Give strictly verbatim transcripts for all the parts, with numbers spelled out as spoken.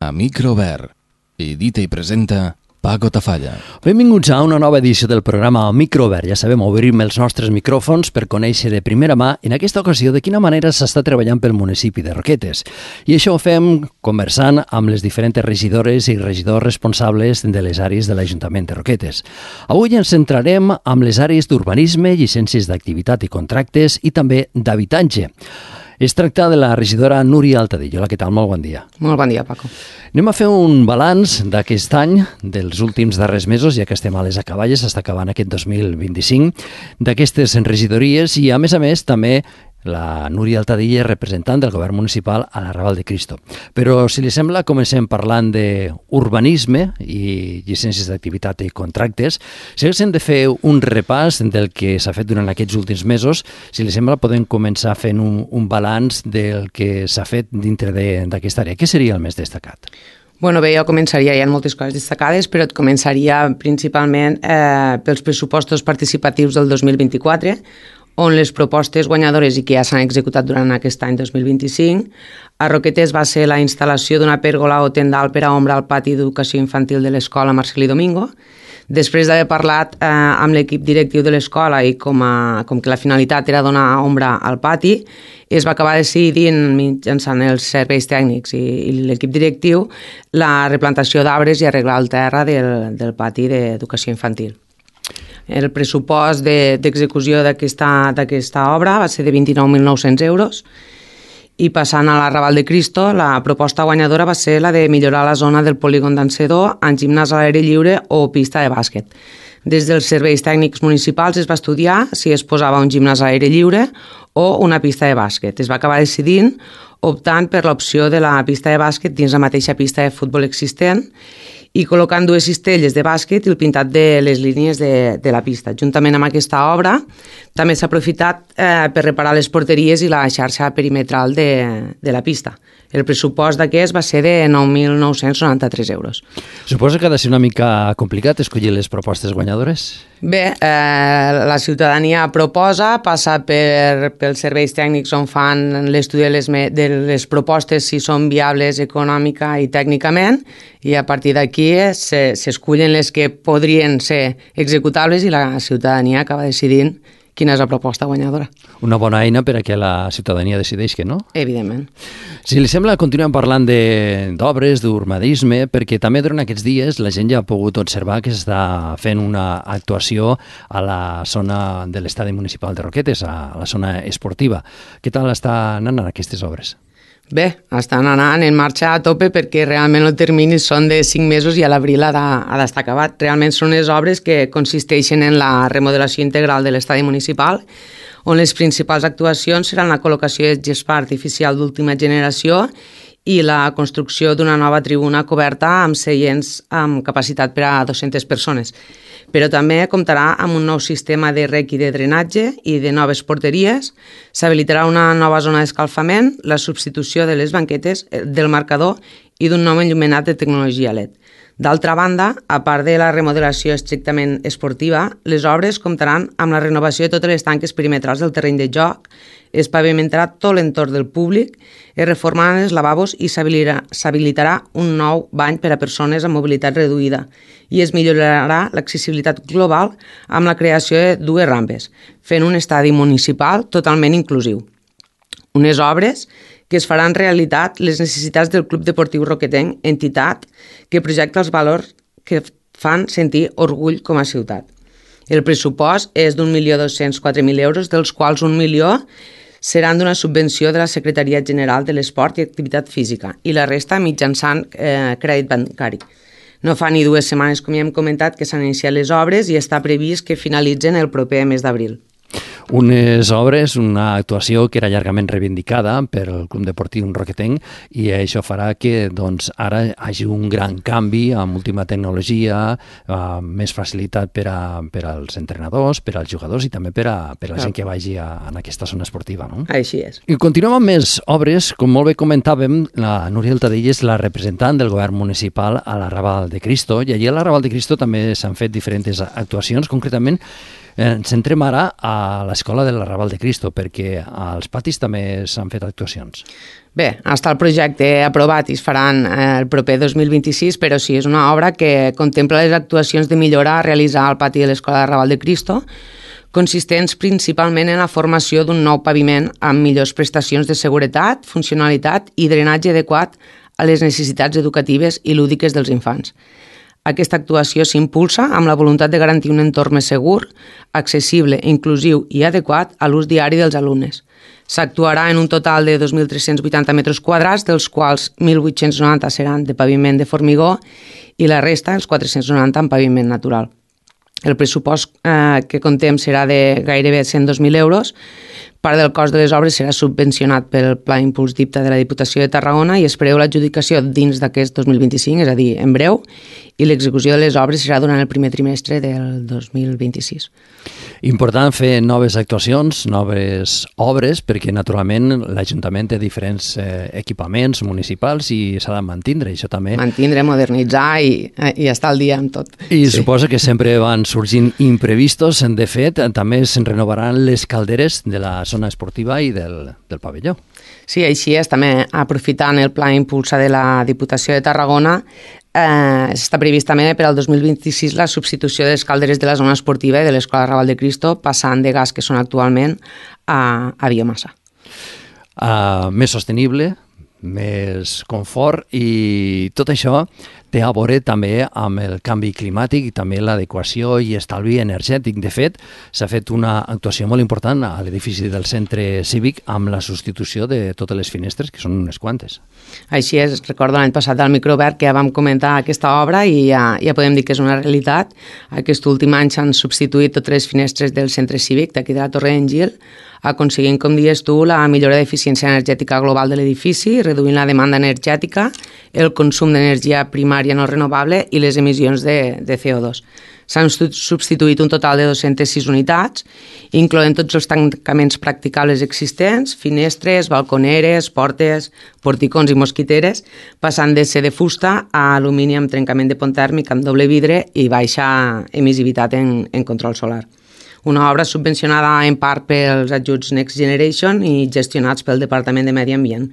A micro obert. Edita i presenta Paco Tafalla. Benvinguts a una nova edició del programa Micro Obert. Ja sabem, obrim els nostres micròfons per conèixer de primera mà, en aquesta ocasió, de quina manera s'està treballant pel municipi de Roquetes. I això ho fem conversant amb les diferents regidores i regidors responsables de les àrees de l'Ajuntament de Roquetes. Avui ens centrarem amb les àrees d'urbanisme, llicències d'activitat i contractes i també d'habitatge. Es tracta de la regidora Núria Altadillo. Hola, què tal? Molt bon dia. Molt bon dia, Paco. Anem a fer un balanç d'aquest any, dels últims darrers mesos, ja que estem a les acaballes, està acabant aquest dos mil vint-i-cinc, d'aquestes regidories i, a més a més, també la Núria Altadillo és representant del govern municipal a l'Arrabal de Cristo. Però, si li sembla, comencem parlant d'urbanisme i llicències d'activitat i contractes. Si haguéssim de fer un repàs del que s'ha fet durant aquests últims mesos, si li sembla, podem començar fent un, un balanç del que s'ha fet dintre d'aquesta àrea. Què seria el més destacat? Bueno, bé, jo començaria, hi ha moltes coses destacades, però et començaria principalment eh, pels pressupostos participatius del dos mil vint-i-quatre, on les propostes guanyadores i que ja s'han executat durant aquest any dos mil vint-i-cinc, a Roquetes va ser la instal·lació d'una pèrgola o tendal per a ombra al pati d'educació infantil de l'escola Marcelí Domingo. Després d'haver parlat eh, amb l'equip directiu de l'escola i com, a, com que la finalitat era donar ombra al pati, es va acabar decidint mitjançant els serveis tècnics i, i l'equip directiu la replantació d'arbres i arreglar el terra del, del pati d'educació infantil. El pressupost d'execució de, d'aquesta obra va ser de vint-i-nou mil nou-cents euros i passant a l'Arrabal de Cristo, la proposta guanyadora va ser la de millorar la zona del polígon d'Encedó en gimnàs a l'aire lliure o pista de bàsquet. Des dels serveis tècnics municipals es va estudiar si es posava un gimnàs a l'aire lliure o una pista de bàsquet. Es va acabar decidint optant per l'opció de la pista de bàsquet dins la mateixa pista de futbol existent i col·locant dues cistelles de bàsquet i el pintat de les línies de, de la pista. Juntament amb aquesta obra, també s'ha aprofitat eh, per reparar les porteries i la xarxa perimetral de, de la pista. El pressupost d'aquest va ser de nou mil nou-cents noranta-tres euros. Suposo que ha de ser una mica complicat escollir les propostes guanyadores? Bé, eh, la ciutadania proposa, passa per, pels serveis tècnics on fan l'estudi de les, de les propostes si són viables econòmica i tècnicament, i a partir d'aquí s'escullen les que podrien ser executables i la ciutadania acaba decidint quina és la proposta guanyadora. Una bona eina per a que la ciutadania decideix que no? Evidentment. Si li sembla, continuem parlant d'obres, d'urbanisme, perquè també durant aquests dies la gent ja ha pogut observar que s'està fent una actuació a la zona de l'estadi municipal de Roquetes, a la zona esportiva. Què tal estan anant aquestes obres? Bé, estan anant en marxa a tope perquè realment els terminis són de cinc mesos i a l'abril ha d'estar acabat. Realment són les obres que consisteixen en la remodelació integral de l'estadi municipal, on les principals actuacions seran la col·locació de gespa artificial d'última generació i la construcció d'una nova tribuna coberta amb seients amb capacitat per a dues-centes persones. Però també comptarà amb un nou sistema de rec i de drenatge i de noves porteries. S'habilitarà una nova zona d'escalfament, la substitució de les banquetes, del marcador i d'un nou enllumenat de tecnologia L E D. D'altra banda, a part de la remodelació estrictament esportiva, les obres comptaran amb la renovació de totes les tanques perimetrals del terreny de joc, es pavimentarà tot l'entorn del públic, es reformaran els lavabos i s'habilitarà un nou bany per a persones amb mobilitat reduïda i es millorarà l'accessibilitat global amb la creació de dues rampes, fent un estadi municipal totalment inclusiu. Unes obres que es faran realitat les necessitats del Club Deportiu Roquetenc, entitat que projecta els valors que fan sentir orgull com a ciutat. El pressupost és d'un milió dos-cents quatre mil euros, dels quals un milió seran d'una subvenció de la Secretaria General de l'Esport i Activitat Física i la resta mitjançant eh, crèdit bancari. No fa ni dues setmanes, com ja hem comentat, que s'han iniciat les obres i està previst que finalitzen el proper mes d'abril. Unes obres, una actuació que era llargament reivindicada per el Club Deportiu Roquetenc i això farà que doncs, ara hi hagi un gran canvi amb última tecnologia, eh, més facilitat per, a, per als entrenadors, per als jugadors i també per a, per a la gent que vagi a, en aquesta zona esportiva. No? Així és. I continuem amb més obres. Com molt bé comentàvem, la Núria Altadillo és la representant del govern municipal a l'Arrabal de Cristo i allí a l'Arrabal de Cristo també s'han fet diferents actuacions, concretament Ens centrem ara a l'escola de l'Arrabal de Cristo, perquè als patis també s'han fet actuacions. Bé, està el projecte aprovat i es faran el proper dos mil vint-i-sis, però sí, és una obra que contempla les actuacions de millora a realitzar al pati de l'Escola de l'Arrabal de Cristo, consistents principalment en la formació d'un nou paviment amb millors prestacions de seguretat, funcionalitat i drenatge adequat a les necessitats educatives i lúdiques dels infants. Aquesta actuació s'impulsa amb la voluntat de garantir un entorn més segur, accessible, inclusiu i adequat a l'ús diari dels alumnes. S'actuarà en un total de dos mil tres-cents vuitanta metres quadrats, dels quals mil vuit-cents noranta seran de paviment de formigó i la resta, els quatre-cents noranta, en paviment natural. El pressupost eh, que contem serà de gairebé cent dos mil euros. Part del cost de les obres serà subvencionat pel Pla Impuls d'I P T A de la Diputació de Tarragona i es preveu l'adjudicació dins d'aquest dos mil vint-i-cinc, és a dir, en breu, i l'execució de les obres serà durant el primer trimestre del dos mil vint-i-sis. Important fer noves actuacions, noves obres, perquè naturalment l'Ajuntament té diferents eh, equipaments municipals i s'ha de mantindre, això també. Mantindre, modernitzar i, i estar al dia amb tot. I sí. Suposo que sempre van sorgint imprevistos. De fet, també se'n renovaran les calderes de la zona esportiva i del, del pavelló. Sí, així és. També aprofitant el Pla Impulsa de la Diputació de Tarragona, eh, està previst també per al dos mil vint-i-sis la substitució de les calderes de la zona esportiva i de l'Escola Arrabal de Cristo, passant de gas que són actualment a, a biomassa. Uh, més sostenible, més confort, i tot això té a veure també amb el canvi climàtic i també l'adequació i estalvi energètic. De fet, s'ha fet una actuació molt important a l'edifici del centre cívic amb la substitució de totes les finestres, que són unes quantes. Així és, recordo l'any passat al microobert que ja vam comentar aquesta obra i ja, ja podem dir que és una realitat. Aquest últim any s'han substituït totes les finestres del centre cívic d'aquí de la Torre d'en Gil, aconseguint, com dius tu, la millora d'eficiència energètica global de l'edifici, reduint la demanda energètica, el consum d'energia primària no renovable i les emissions de, de C O dos. S'han substituït un total de dues-centes sis unitats, incloent tots els tancaments practicables existents, finestres, balconeres, portes, porticons i mosquiteres, passant de ser de fusta a alumini amb trencament de pont tèrmic amb doble vidre i baixa emissivitat en, en control solar. Una obra subvencionada en part pels ajuts Next Generation i gestionats pel Departament de Medi Ambient.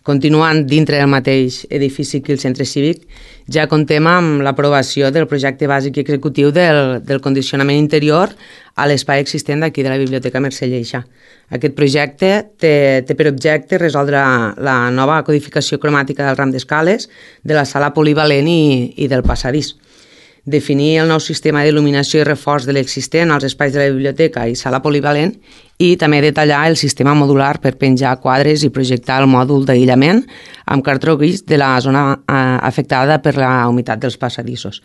Continuant dintre del mateix edifici que el centre cívic, ja contem amb l'aprovació del projecte bàsic i executiu del, del condicionament interior a l'espai existent d'aquí de la Biblioteca Mercè Lleixa. Aquest projecte té, té per objecte resoldre la nova codificació cromàtica del ram d'escales, de la sala polivalent i, i del passadís. Definir el nou sistema d'il·luminació i reforç de l'existent als espais de la biblioteca i sala polivalent i també detallar el sistema modular per penjar quadres i projectar el mòdul d'aïllament amb cartró gris de la zona afectada per la humitat dels passadissos.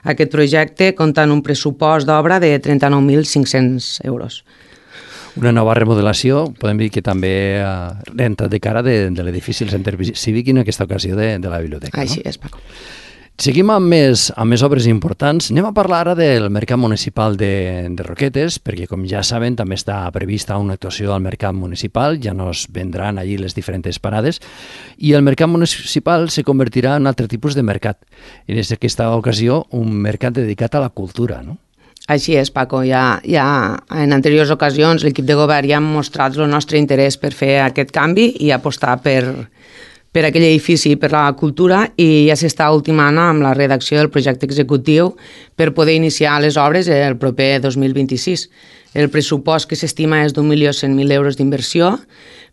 Aquest projecte compta amb un pressupost d'obra de trenta-nou mil cinc-cents euros. Una nova remodelació, podem dir que també ha entrat de cara de, de l'edifici del centre cívic i en aquesta ocasió de, de la biblioteca. Així no? és, Paco. Seguim amb més, amb més obres importants. Anem a parlar ara del Mercat Municipal de, de Roquetes, perquè, com ja saben, també està prevista una actuació al Mercat Municipal, ja nos vendran allí les diferents parades, i el Mercat Municipal se convertirà en un altre tipus de mercat. En aquesta ocasió, un mercat dedicat a la cultura, no? Així és, Paco. Ja, ja en anteriors ocasions l'equip de govern ja ha mostrat el nostre interès per fer aquest canvi i apostar per... per aquell edifici i per la cultura, i ja s'està ultimant amb la redacció del projecte executiu per poder iniciar les obres el proper dos mil vint-i-sis. El pressupost que s'estima és d'un milió cent mil euros d'inversió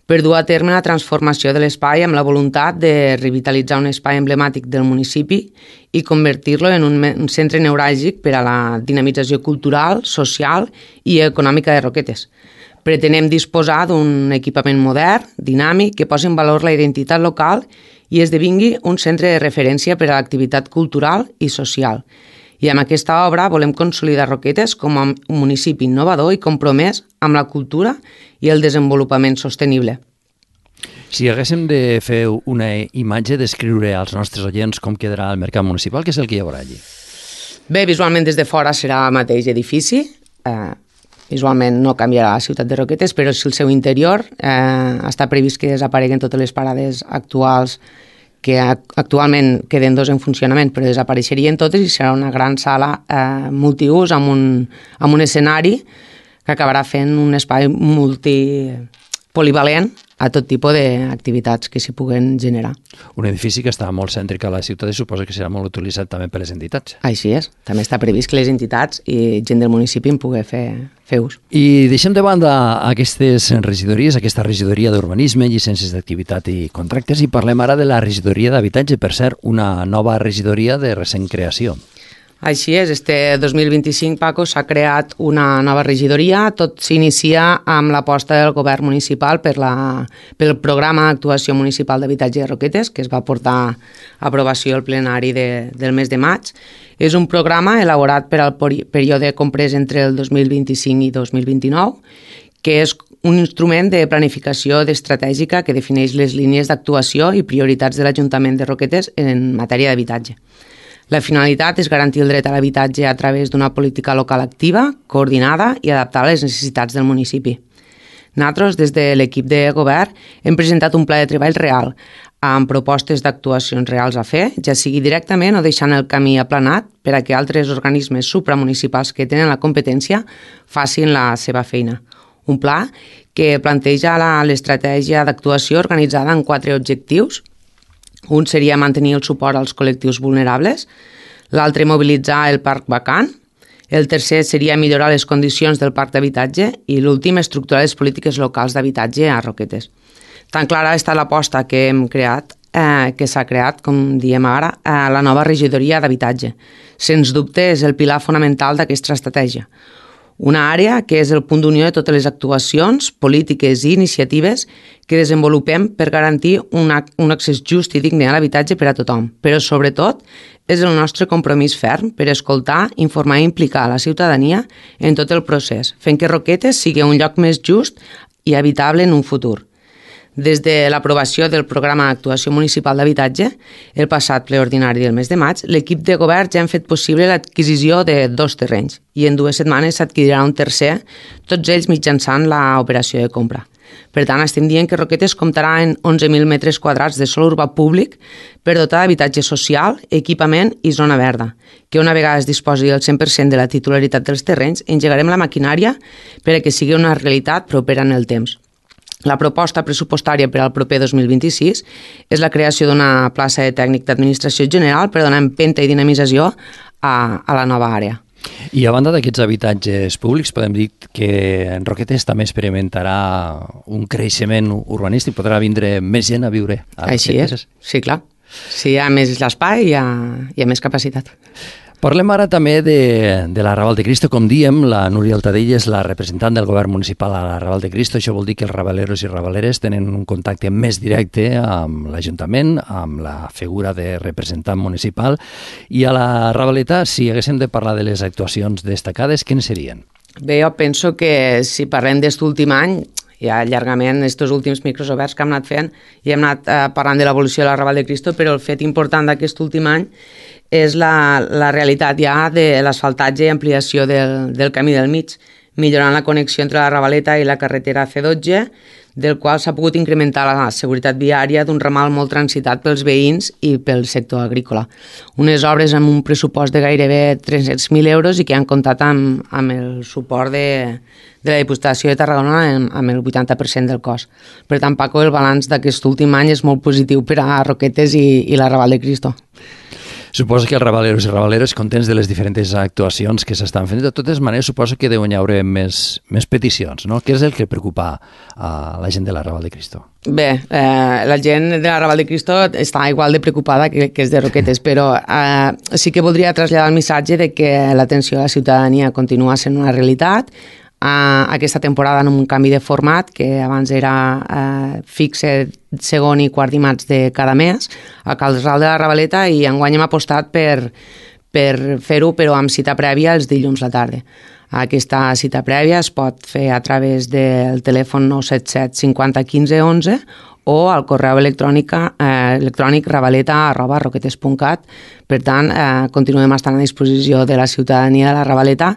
per dur a terme la transformació de l'espai amb la voluntat de revitalitzar un espai emblemàtic del municipi i convertir-lo en un, un centre neuràlgic per a la dinamització cultural, social i econòmica de Roquetes. Pretenem disposar d'un equipament modern, dinàmic, que posi en valor la identitat local i esdevingui un centre de referència per a l'activitat cultural i social. I amb aquesta obra volem consolidar Roquetes com a un municipi innovador i compromès amb la cultura i el desenvolupament sostenible. Si haguéssim de fer una imatge, descriure als nostres oients com quedarà el mercat municipal, què és el que hi haurà allí? Bé, visualment des de fora serà el mateix edifici. Eh, visualment no canviarà la ciutat de Roquetes, però si el seu interior eh, està previst que desapareguen totes les parades actuals que actualment queden dos en funcionament, però desapareixerien totes i serà una gran sala eh, multiús amb un, amb un escenari que acabarà fent un espai multipolivalent a tot tipus d'activitats que s'hi puguen generar. Un edifici que està molt cèntric a la ciutat i suposa que serà molt utilitzat també per les entitats. Així és. També està previst que les entitats i gent del municipi en pugui fer, fer ús. I deixem de banda aquestes regidories, aquesta regidoria d'urbanisme, llicències d'activitat i contractes, i parlem ara de la regidoria d'habitatge, per cert, una nova regidoria de recent creació. Així és, este dos mil vint-i-cinc, Paco, s'ha creat una nova regidoria. Tot s'inicia amb l'aposta del govern municipal per la, pel programa d'actuació municipal d'habitatge de Roquetes, que es va portar a aprovació al plenari de, del mes de maig. És un programa elaborat per al període comprès entre el dos mil vint-i-cinc i dos mil vint-i-nou, que és un instrument de planificació estratègica que defineix les línies d'actuació i prioritats de l'Ajuntament de Roquetes en matèria d'habitatge. La finalitat és garantir el dret a l'habitatge a través d'una política local activa, coordinada i adaptada a les necessitats del municipi. Nosaltres, des de l'equip de govern, hem presentat un pla de treball real, amb propostes d'actuacions reals a fer, ja sigui directament o deixant el camí aplanat per a que altres organismes supramunicipals que tenen la competència facin la seva feina. Un pla que planteja l'estratègia d'actuació organitzada en quatre objectius. Un seria mantenir el suport als col·lectius vulnerables, l'altre mobilitzar el parc vacant, el tercer seria millorar les condicions del parc d'habitatge i l'últim estructurar les polítiques locals d'habitatge a Roquetes. Tan clara està l'aposta que hem creat, eh, que s'ha creat, com diem ara, eh, la nova regidoria d'habitatge. Sens dubte és el pilar fonamental d'aquesta estratègia. Una àrea que és el punt d'unió de totes les actuacions, polítiques i iniciatives que desenvolupem per garantir un, un accés just i digne a l'habitatge per a tothom. Però, sobretot, és el nostre compromís ferm per escoltar, informar i implicar la ciutadania en tot el procés, fent que Roquetes sigui un lloc més just i habitable en un futur. Des de l'aprovació del programa d'actuació municipal d'habitatge, el passat ple ordinari del mes de maig, l'equip de govern ja han fet possible l'adquisició de dos terrenys i en dues setmanes s'adquirirà un tercer, tots ells mitjançant l'operació de compra. Per tant, estem dient que Roquetes comptarà en onze mil metres quadrats de sòl urbà públic per dotar d'habitatge social, equipament i zona verda, que una vegada es disposi del cent per cent de la titularitat dels terrenys, engegarem la maquinària per a que sigui una realitat propera en el temps. La proposta pressupostària per al proper dos mil vint-i-sis és la creació d'una plaça de tècnic d'administració general per donar empenta i dinamització a, a la nova àrea. I a banda d'aquests habitatges públics, podem dir que en Roquetes també experimentarà un creixement urbanístic, podrà vindre més gent a viure a Roquetes. Així és, sí, clar. Si hi ha més l'espai, hi ha, hi ha més capacitat. Parlem ara també de, de la Raval de Cristo. Com diem, la Núria Altadell és la representant del govern municipal a la Raval de Cristo. Això vol dir que els rabaleros i rabaleres tenen un contacte més directe amb l'Ajuntament, amb la figura de representant municipal. I a la Ravaleta, si haguéssim de parlar de les actuacions destacades, quines serien? Bé, jo penso que si parlem d'aquest últim any, ja llargament, aquests últims micros oberts que hem anat fent, i hem anat eh, parlant de l'evolució de la Raval de Cristo, però el fet important d'aquest últim any és la, la realitat ja de l'asfaltatge i ampliació del, del camí del mig, millorant la connexió entre la Ravaleta i la carretera C dotze, del qual s'ha pogut incrementar la seguretat viària d'un ramal molt transitat pels veïns i pel sector agrícola. Unes obres amb un pressupost de gairebé tres-cents mil euros i que han comptat amb, amb el suport de, de la Diputació de Tarragona amb, amb el vuitanta per cent del cost. Per tant, Paco, el balanç d'aquest últim any és molt positiu per a Roquetes i, i la Raval de Cristo. Suposo que els rabaleros i rabaleres, contents de les diferents actuacions que s'estan fent, de totes maneres suposo que deuen hi haure més, més peticions, no? Què és el que preocupa a la gent de la Raval de Cristo? Bé, eh, la gent de la Raval de Cristo està igual de preocupada que, que és de Roquetes, però eh, sí que voldria traslladar el missatge de que l'atenció a la ciutadania continua sent una realitat. Uh, aquesta temporada en un canvi de format que abans era uh, fixe segon i quart dimarts de cada mes a Casal de la Ravaleta, i enguany hem apostat per, per fer-ho però amb cita prèvia els dilluns a la tarda. Aquesta cita prèvia es pot fer a través del telèfon nou set set cinquanta quinze onze o al correu electrònic, eh, electrònic ravaleta arroba roquetes punt cat. Per tant, eh, continuem estant a disposició de la ciutadania de la Ravaleta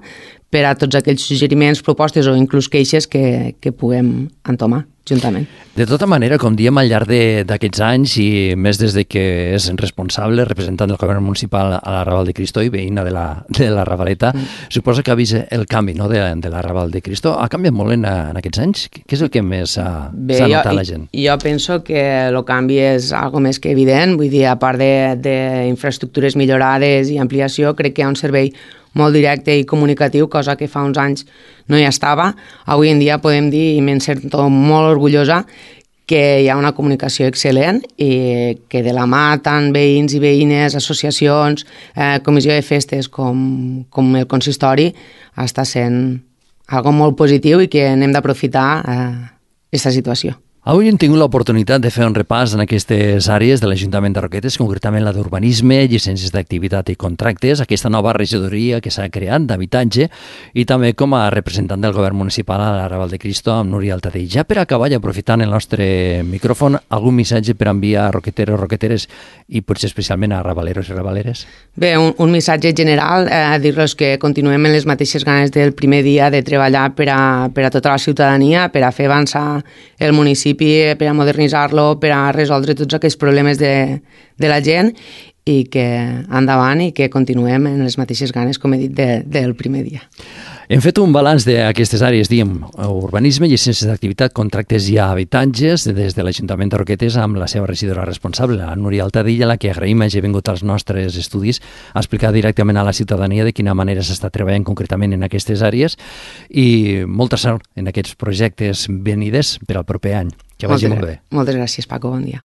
per a tots aquells suggeriments, propostes o inclús queixes que, que puguem entomar. juntament. De tota manera, com diem al llarg d'aquests anys i més des de que és responsable, representant del govern municipal a la Raval de Cristo i veïna de la, de la Ravaleta, mm. suposa que ha vist el canvi, no?, de, de la Raval de Cristo. Ha canviat molt en, en aquests anys? Què és el que més s'ha notat la gent? Jo penso que el canvi és algo més que evident, vull dir, a part d'infraestructures millorades i ampliació, crec que hi ha un servei molt directe i comunicatiu, cosa que fa uns anys no hi estava. Avui en dia podem dir, i me'n sento molt orgullosa, que hi ha una comunicació excel·lent i que de la mà tant veïns i veïnes, associacions, eh, comissió de festes com, com el consistori està sent algo molt positiu i que n'hem d'aprofitar aquesta eh, situació. Avui hem tingut l'oportunitat de fer un repàs en aquestes àrees de l'Ajuntament de Roquetes, concretament la d'urbanisme, llicències d'activitat i contractes, aquesta nova regidoria que s'ha creat d'habitatge i també com a representant del govern municipal a la Raval de Cristo amb Núria Altadell. Ja per acabar i aprofitant el nostre micròfon, algun missatge per enviar a roqueteros, roqueteres i potser especialment a ravaleros i ravaleres? Bé, un, un missatge general, eh, dir-los que continuem en les mateixes ganes del primer dia de treballar per a, per a tota la ciutadania, per a fer avançar el municipi, per a modernitzar-lo, per a resoldre tots aquests problemes de, de la gent i que endavant i que continuem en les mateixes ganes, com he dit, de, del primer dia. Hem fet un balanç d'aquestes àrees, diem, urbanisme, llicències d'activitat, contractes i habitatges des de l'Ajuntament de Roquetes amb la seva regidora responsable, la Núria Altadell, a la que agraïm hagi vingut als nostres estudis a explicar directament a la ciutadania de quina manera s'està treballant concretament en aquestes àrees i molta sort en aquests projectes venides per al proper any. Que vagi molt bé. Moltes gràcies, Paco. Bon dia.